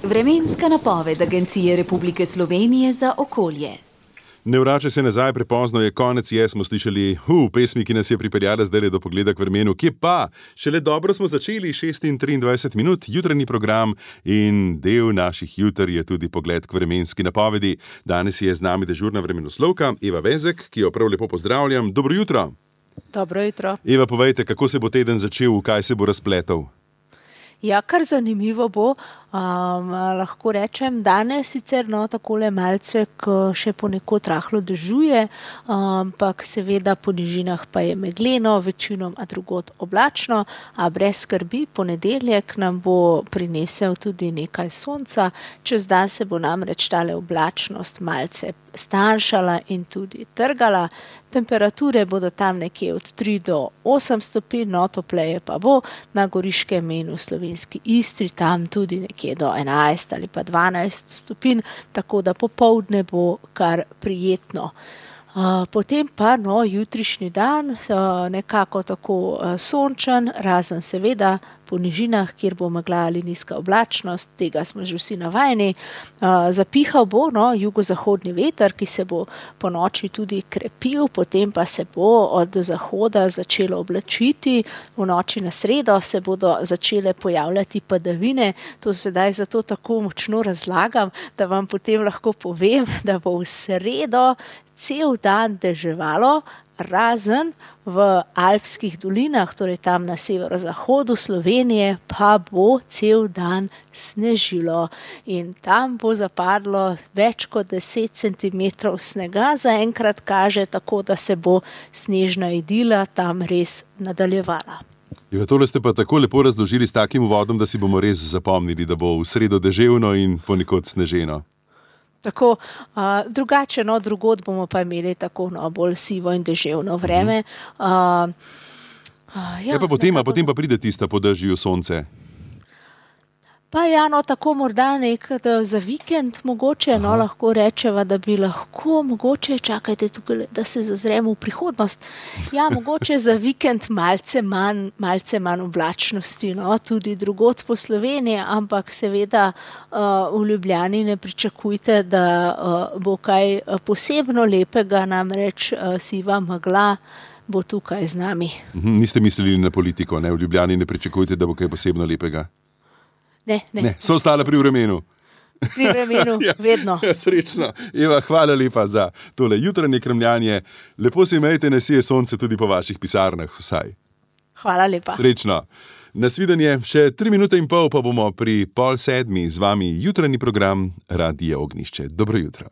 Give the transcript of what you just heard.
Vremenska napoved Agencije Republike Slovenije za okolje. Ne vrača se nazaj, prepozno je, konec je, smo slišali pesmi, ki nas je pripeljala zdaj do pogleda k vremenu. Kje pa? Šele dobro smo začeli, 6:23 minut, jutranji program in del naših juter je tudi pogled k vremenski napovedi. Danes je z nami dežurna vremenoslovka Eva Vezek, ki jo prav lepo pozdravljam. Dobro jutro. Dobro jutro. Eva, povejte, kako se bo teden začel, v kaj se bo razpletel? Ja, kar zanimivo bo, lahko rečem, danes sicer takole malce, ko še ponekod rahlo dežuje, ampak seveda po nižinah pa je megleno, večinoma drugod oblačno, a brez skrbi, ponedeljek nam bo prinesel tudi nekaj sonca, čez dan se bo namreč tale oblačnost malce stanjšala in tudi trgala. Temperature bodo tam nekje od 3 do 8 stopinj, topleje pa bo na Goriškem in v slovenski Istri, tam tudi nekje do 11 ali pa 12 stopinj, tako da popoldne bo kar prijetno. Potem pa jutrišnji dan nekako tako sončen, razen seveda po nižinah, kjer bo megla ali nizka oblačnost, tega smo že vsi navajeni. Zapihal bo jugozahodni veter, ki se bo po noči tudi krepil, potem pa se bo od zahoda začelo oblačiti. V noči na sredo se bodo začele pojavljati padavine. To sedaj zato tako močno razlagam, da vam potem lahko povem, da bo v sredo cel dan deževalo, razen v alpskih dolinah, torej tam na severozahodu Slovenije, pa bo cel dan snežilo in tam bo zapadlo več kot 10 centimetrov snega, zaenkrat kaže, tako da se bo snežna idila tam res nadaljevala. Tole ste pa tako lepo razložili s takim uvodom, da si bomo res zapomnili, da bo v sredo deževno in ponekod sneženo. Tako, drugače, drugod bomo pa imeli tako bolj sivo in deževno vreme. Potem pa pride tista po dežju sonce. Pa tako morda za vikend mogoče, lahko rečeva, da bi lahko mogoče, čakajte tukaj, da se zazremo v prihodnost. Ja, mogoče za vikend malce manj oblačnosti, tudi drugod po Sloveniji, ampak seveda v Ljubljani ne pričakujte, da bo kaj posebno lepega, namreč siva megla bo tukaj z nami. Niste mislili na politiko, ne? V Ljubljani ne pričakujte, da bo kaj posebno lepega? Ne. So ostale pri vremenu. Pri vremenu, vedno. Srečno. Eva, hvala lepa za tole jutranje kremljanje. Lepo se imejte, naj sije sonce tudi po vaših pisarnah vsaj. Hvala lepa. Srečno. Nasvidenje, še 3 minute in pol pa bomo pri 6:30 z vami jutranji program Radija Ognjišče. Dobro jutro.